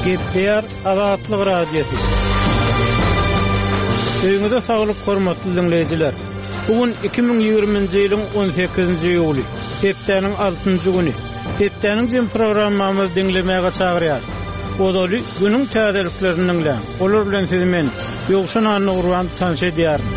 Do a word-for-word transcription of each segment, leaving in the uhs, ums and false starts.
Gepleýär Azatlyk Radiosy. Öýüňize saglyk hormatly diňleýjiler. Bu gün iki müň ýigriminji ýylyň on sekizinji iýuly, hepdäniň altynjy güni. Hepdäniň jem programmamyzy diňlemäge çagyrýar. Ozaly günüň täzeliklerini diňläň. Olar bilen sizi men, Ýowşan Annagurban tanyş edýärin.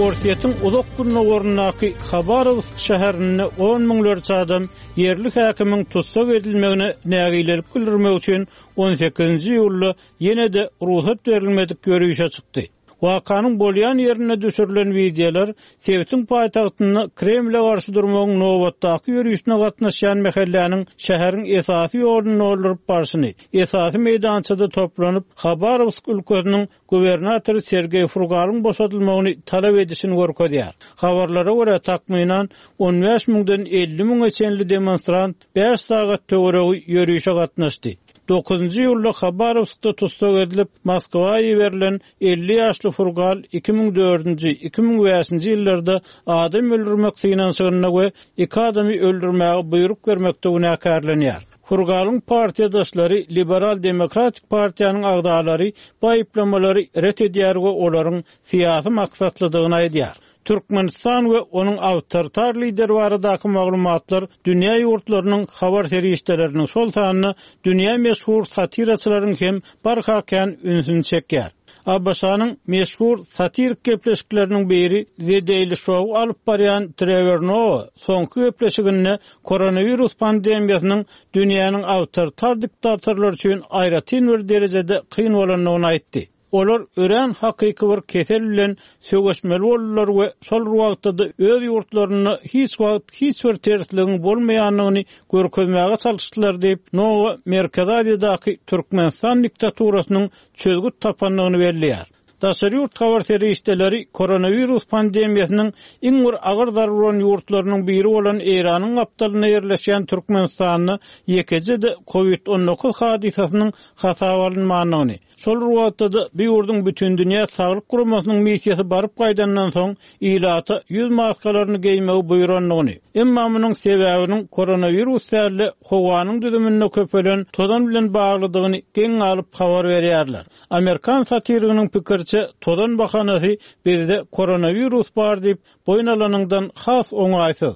Orsýetiň uzak gündogaryndaky Habarowsk şäherinde on müňlerçe adam ýerli häkimiň tussag edilmegine nägilelik bildirmek üçin on sekizinji iýulda ýene-de rugsat berilmedik ýörişe çykdy. Wakanyň bolýan ýerinde düşürilen wideolar sebitiň paýtagtynda Kremle garşy durmagyň nobatdaky ýörişine gatnaşýan mähelläniň şäheriň esasy ýoluny dolduryp barşyny, esasy meýdançada toplanyp Habarowsk ülkesiniň gubernatory Sergeý Furgalyň boşadylmagyny talap edişini görkezýär. Habarlara görä takmynan on bäş müňden elli müňe çenli demonstrant bäş sagat töweregi ýörişe gatnaşdy. Dokuzynjy ýylda Habarowskda tussag edilip Moskwa iberilen elli ýaşly Furgal iki müň dördünji, iki müň bäşinji ýyllarda adam öldürmek synanyşygynda we iki adamy öldürmäge buýruk bermekde günäkärlenýär. Furgalyň partiýadaşlary Liberal Demokratik partiýanyň agzalary bu aýyplamalary ret edýär we olaryň syýasy maksatlydygyny aýdýar. Türkmenistan we onuň awtoritar lideri baradaky maglumatlar dünýä ýurtlarynyň habar serişdeleriniň şol sanda dünýä meşhur satiraçylaryň hem barha kän ünsüni çekýär. A B Ş-nyň meşhur satirik gepleşikleriniň biri The Daily Show alyp barýan Trevor Noah soňky gepleşiginde koronawirus pandemiýasynyň dünýäniň awtoritar diktatorlary üçin aýratyn bir derejede kyn bolandygyny aýtdy. Olar örän hakyky bir kesel bilen söweşmeli boldular we şol wagtda öz ýurtlarynda hiç wagt hiç bir tersligiň bolmaýandygyny görkezmäge çalyşdylar diýip, Noah Merkezi Aziýadaky Türkmenistan diktaturasynyň çözgüt tapandygyny belleýär. Daşary ýurt habar serişdeleri koronawirus pandemiýasynyň iň bir agyr zarba uran ýurtlarynyň biri bolan Eýranyň gapdalynda ýerleşýän Türkmenistanda ýekeje-de COVID on dokuz hadysasynyň hasaba alynmandygyny, şol wagtda bu ýurduň Bütindünýä Saglyk Guramasynyň missiýasy baryp gaýdandan soň ilata ýüz maskalaryny geýmegi buýrandygyny, emma munuň sebäbiniň koronawirus däl-de howanyň düzüminde köpelen tozan bilen baglydygyny geň alyp habar berýärler. Amerikan satiriginiň pikirçe tozan bahanasy bizde koronawirus bar diýip boýun alanyňdan has oňaýsyz.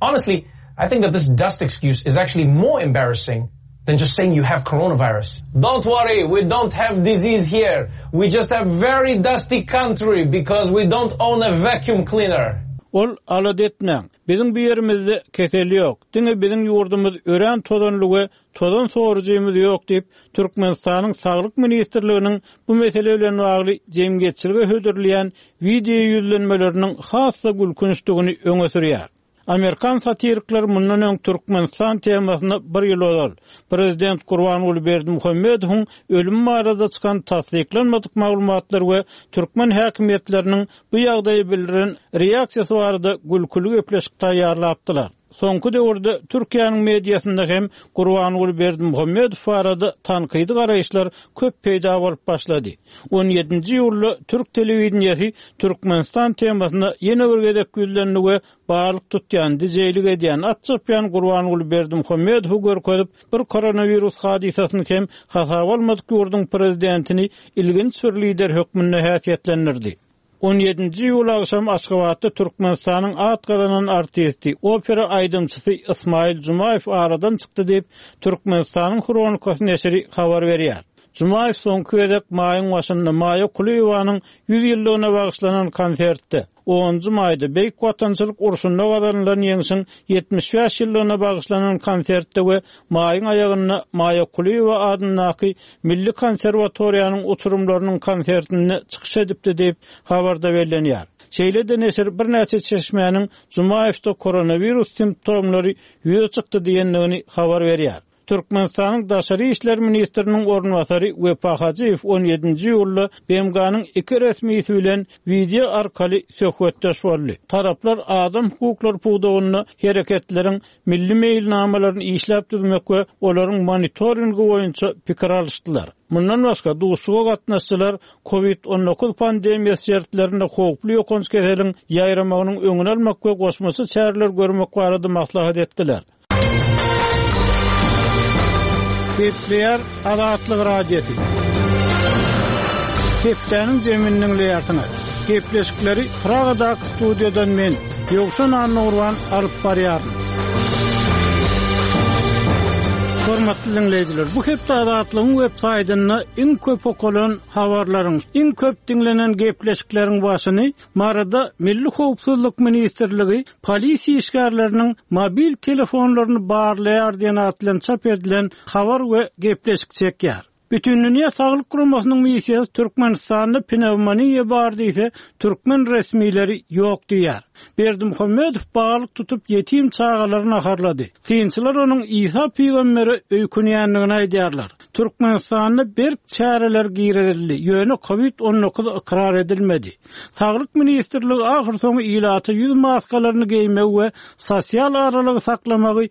Honestly, I think that this dust excuse is actually more embarrassing than just saying you have coronavirus. Don't worry, we don't have disease here. We just have very dusty country because we don't own a vacuum cleaner. Ol alad etmäň. Biziň bu ýerimizde kesel ýok. Diňe biziň ýurdumyz örän tozanly we tozan sorujymyz ýok diýip, Türkmenistanyň Saglyk Ministrliginiň bu mesele bilen bagly jemgyýetçilige hödürleýän video ýüzlenmeleriniň has-da gülkünçdigini öňe sürýär. Amerikan satirikleri mundan öň Türkmenistan temasyna bir ýyl ozal Prezident Gurbanguly Berdimuhamedowyň ölüm barada çykan tassyklanmadyk maglumatlar we türkmen häkimiýetleriniň bu ýagdaýy bildiren reaksiýasy barada gülküli gepleşik taýýarlapdylar. Soňky döwürde Türkiýäniň mediasynda hem Gurbanguly Berdimuhamedow barada tankydy garaýyşlar köp peýda bolup başlady. on ýedinji iýulda Türk telewideniýesi Türkmenistan temasyna ýene bir gezek ýüzlendi we balyk tutýan, dijeýlik edýän, at çapýan Gurbanguly Berdimuhamedowy görkezip, bir koronawirus hadysasyny hem hasaba almadyk ýurduň prezidentini ilginç bir lider hökmünde häsiýetlendirdi. on ýedinji iýul agşam Aşgabatda Türkmenistanyň at gazanan artisti, opera aýdymçysy Ismail Jumaýew aradan çykdy diýip, Türkmenistanyň Hronikasy neşiri habar berýär. Jumaýew soňky gezek maýyň başynda Maýa Kulyýewanyň ýüz ýyllygyna bagyşlanan konsertde onunjy maýda Beýik Watançylyk urşunda gazanylan ýeňşiň ýetmiş bäş ýyllygyna bagyşlanan konsertde we maýyň aýagynda Maýa Kulyýewa adyndaky Milli konserwatoriýanyň oturymlarynyň konsertinde çykyş edipdi diýip habarda bellenýär. Şeýle-de neşir birnäçe çeşmäniň Jumaýewde koronawirus simptomlary ýüze çykdy diýendigini habar berýär. Türkmenistanyň Daşary işler ministriniň orunbasary Wepa Hajyýew on ýedinji iýulda B M G-nyň iki resmisi bilen video arkaly söhbetdeş boldy. Taraplar adam hukuklary pudagynda hereketleriň milli meýilnamalaryny işläp düzmek we olaryň monitoringi boýunça pikir alyşdylar. Mundan başga duşuşyga gatnaşyjylar COVID on dokuz pandemiýasy şertlerinde howply ýokanç keseliň ýaýramagynyň öňüni almak we goşmaça çäreler görmek barada maslahat etdiler. Gepleýär Azatlyk Radiosy. Hepdäniň jemini diňleýärsiňiz. Gepleşikleri Pragadaky studiýadan men, Ýowşan Annagurban alyp barýaryn. Hormatly dinleýjiler, bu hepde Azatlygyň web saýtynda iň köp okalan habarlaryň, iň köp diňlenen gepleşikleriň başyny Maryda Milli Howpsuzlyk Ministrligi polisiýa işgärleriniň mobil telefonlaryny barlaýar diýen atly çap edilen habar we gepleşik çekýär. Bütindünýä Saglyk Guramasynyň missiýasy Türkmenistanda pnewmoniýa bar diýse, türkmen resmileri ýok diýär. Berdimuhamedow balyk tutup ýetim çagalary naharlady. Synçylar onuň Isa pygambere öýkünýändigini aýdýarlar. Türkmenistanda berk çäreler girizildi, ýöne COVID on dokuz ykrar edilmedi. Saglyk Ministrligi ahyrsoňy ilaty ýüz maskalaryny geýmegi we sosial aralygy saklamagy